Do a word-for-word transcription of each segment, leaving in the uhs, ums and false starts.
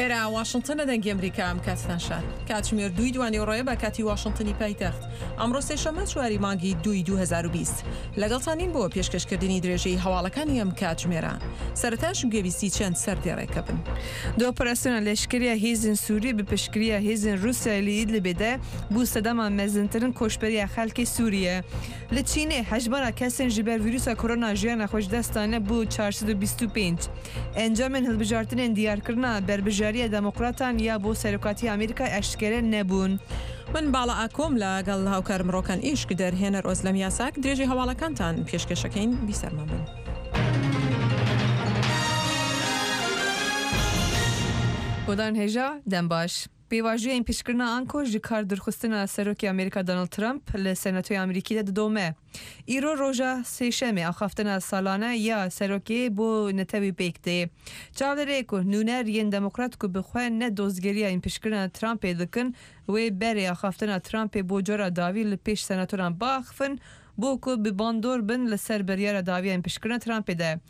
ئێرە واشنتنە دەنگی ئەمریکا ئەم کاتتان شاد. کاتژمێر دووی دوانیوەڕۆیە بە کاتی واشنتنی پایتەخت. ئەمڕۆ سێشەممە چواری مانگی دووی دوو هەزار و بیست. لەگەڵتانین بۆ پێشکەشکردنی درێژەی هەواڵەکانی ئەم کاتژمێرە. سەرەتاش گوێبیستی چەند سەردێڕێکە بن. Di operasyona leşkeriya hêzên Sûrî bi piştgiriya hêzên Rûsyayê li Idlibê de bû sedema mezintirin koçberiya xelkê Sûriye. Li Çînê hejmara kesên ji ber vîrusa korona jiyana xwe ji dest dane bû çar sed û bîst û pênc. Encamên hilbijartinên diyarkirina berbijariya Demokratan ya bo Serokatiya Amerîka eşkere nebûn. من باڵا ئاکۆم لەگەڵ هاوکارم ڕۆکان ئیشک دەرهێنەر ئۆزلەم یاساک درێژی هەواڵەکانتان پێشکەشەکەین بیسەرمان بن. Godan hêja dem baş. Pêvajoyên pişkirina anko ji kar dûrxistina Serokê Amerîka Donald Trump li Senatoya Amerîkî de didome. Îro roja sêşemê axaftina salane ya Serokê bo netewî pêk tê. Çavlêrê ku nûner yên Demokrat ku bi xwe ne dozgeriya pişkirina Trumpê dikin, wê berê axaftina Trumpê bo cora dawî li pêş senatoran biaxivin bo ku bi bandor bin li ser biryara dawiya pişkirina Trumpê de.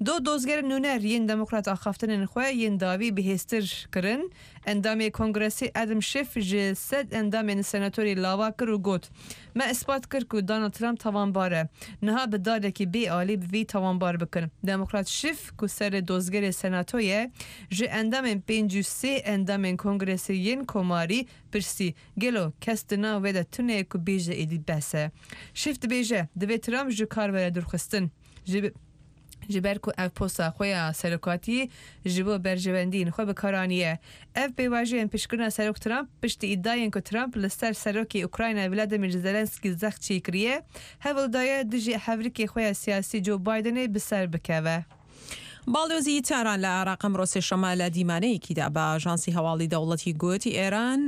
Du dozgerên nûner yên Demokrat axaftinên xwe yên dawî bihêztir kirin. Endamê Kongresê Adam Schiff ji sed endamên senatorê lava kir û got: Me ispat kir ku Donald Trump tawanbar e. Niha bi darekî bê alî bi vî tawanbar bikin. Demokrat Schiff ku serê dozgerê senatoyê ji endamên pêncî û sê endamên Kongresê yên Komarî pirsî gelo kes di nav wê de tune ye ku bêje êdî bes e. Schiff dibêje divê Trump ji kar were dûrxistin. Ji ji ber ku ev posta xwe ya serokatiyê ji bo berjewendiyên xwe bi kar aniye. Ev pêvajoyên pişkirina Serok Trump piştî îdiayên ku Trump li ser Serokê Ukrayna Vladimir Zelenski zext çêkiriye, hewl daye dijî hevrikê xwe ya siyasî Joe Bidenê bi ser bikeve. باڵیۆزی تاران لە عێراق ئەمڕۆ سێشەممە لە دیمانەیەکیدا بە ئاژانسی هەواڵی دەوڵەتی گوتی ئێران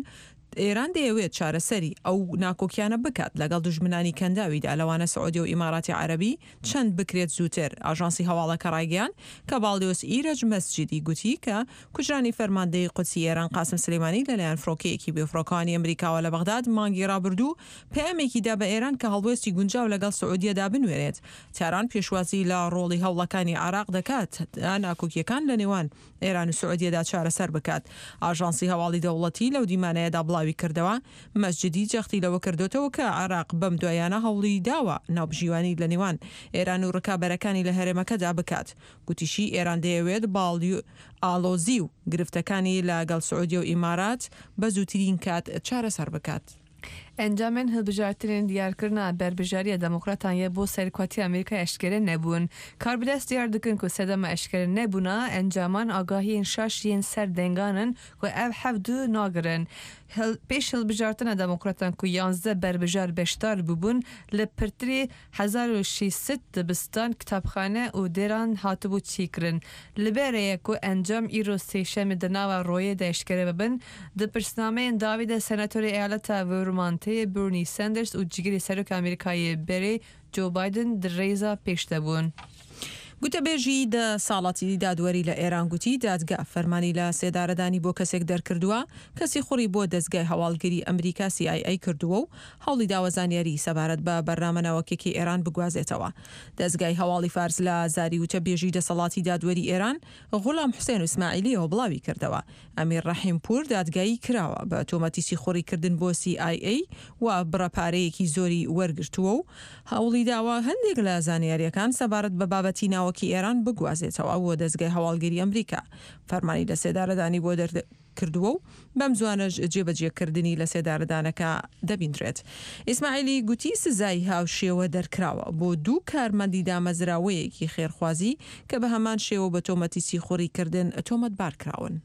ئێران دەیەوێت چارەسەری ئەو ناکۆکیانە بکات لەگەڵ دوژمنانی کەنداویدا لەوانە سعودی و ئیماراتی عەرەبی چەند بکرێت زووتر. ئاژانسی هەواڵەکە ڕایگەیاند کە باڵیۆز ئیرەج مەسجدی گوتی کە کوژرانی فەرماندەی قودسی ئێران قاسم سلێمانی لەلایەن فڕۆکەیەکی بێفڕۆکەوانی ئەمریکاوە لە بەغداد مانگی ڕابردوو پەیامێکی دا بە ئێران کە هەڵوێستی گونجاو لەگەڵ سعودیەدا بنوێنێت. تاران پێشوازی لە ڕۆڵی هەوڵەکانی عێراق دەکات تا ناکۆکیەکان لە نێوان ئێران و سعودیەدا چارەسەر بکات. ئاژانسی هەواڵی دەوڵەتی لەو دیمانەیەدا بڵاوی کردەوە مەسجدی جەختی لەوە کردوتەوە کە عێراق بەم دوایانە هەوڵی داوە ناوبژیوانی لە نێوان ئێران و ڕکابەرەکانی لە هەرێمەکەدا بکات. گوتیشی ئێران دەیەوێت ئاڵۆزی و گرفتەکانی لەگەڵ سعودیە و ئیمارات بە زووترین کات چارەسەر بکات. Encamên hilbijartinên diyarkirina berbijariya Demokratan ya bo Serokatiya Amerîka eşkere nebûn. Karbidest diyar dikin ku sedema eşkere nebûna encaman agahiyên şaş yên ser dengan in ku ev hev du nagirin. Pêş hilbijartina Demokratan ku yanzdeh berbijar beşdar bûbûn li pirtirî hezar û şeş sed dibistan, kitapxane û dêran hatibû çêkirin. Li berê ye ku encam îro sêşemê di nava royê de eşkere bibin. Di pirsnameyên dawî de Senatorê Eyaleta Vermontê Bernie Sanders û cîgirê Serokê Amerîkayê berê Joe Biden di rêza pêş de bûn. گوتەبێژی دەسەڵاتی دادوەری لە ئێران گوتی دادگا فەرمانی لە سێدارەدانی بۆ کەسێک دەرکردووە کەسی خوڕی بۆ دەستگای هەواڵگری ئەمریکا سی ئای ئەی کردووە و هەوڵی داوە زانیاری سەبارەت بە بەرنامە ناوەکێکی ئێران بگوازێتەوە. دەستگای هەواڵی فارس لە زاری وتەبێژی دەسەڵاتی دادوەری ئێران غوڵام حوسێن ئیسماعیلیەوە بڵاوی کردەوە. ئەمیر ڕەحیم پوور دادگایی کراوە بە تۆمەتی سیخوڕیکردن بۆ سی ئای ئەی و بڕە پارەیەکی زۆری وەرگرتووە و هەوڵی داوە هەندێک لە زانیاریەکان سەبارەت بە بابەتی ناوەکی ئێران بگوازێتەوە بۆ دەستگای هەواڵگری ئەمریکا. فەرمانی لە سێدارەدانی بۆ دەرکردووە و بەم زوانەش جێبەجێکردنی لە سێدارەدانەکە دەبیندرێت. ئیسماعیلی گوتی سزای هاوشێوە دەرکراوە بۆ دوو کارمەندی دامەزراوەیەکی خێرخوازی کە بە هەمان شێوە بە تۆمەتی سیخوڕیکردن تۆمەتبار کراون.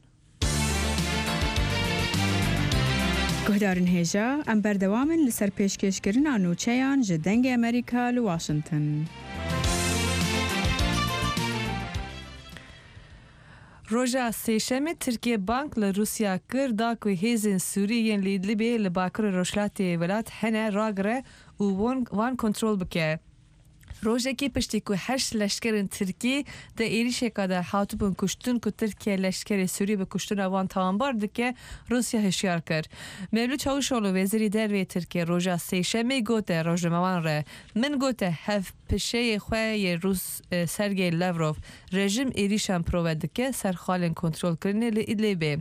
گوهدارن هێژا ئەم بەردەوامن لەسەر پێشکێشکردنا نوچەیان ji dengê Amerîka li Washington. Roja sêşemê Tirkiye bank li Rûsya kir da ku hêzên Sûrî yên li Idlibê li bakurê Rojhilatê welat hene ragire û wan kontrol bike. Rojekê piştî ku heşt leşkerên Tirkî di êrişeka de hatibûn kuştin ku Tirkiye leşkerê Sûrî bi kuştina wan tawanbar dike, Rûsya hişyar kir. Mevlüt Çavuşoğlu wezîrê derveyê Tirkiye roja sêşemê gote rojnamevan re min gote hev pişeyê xwe yê Rûs Sergey Lavrov rejim êrişan prove dike ser xalên kontrolkirinê li Idlibê.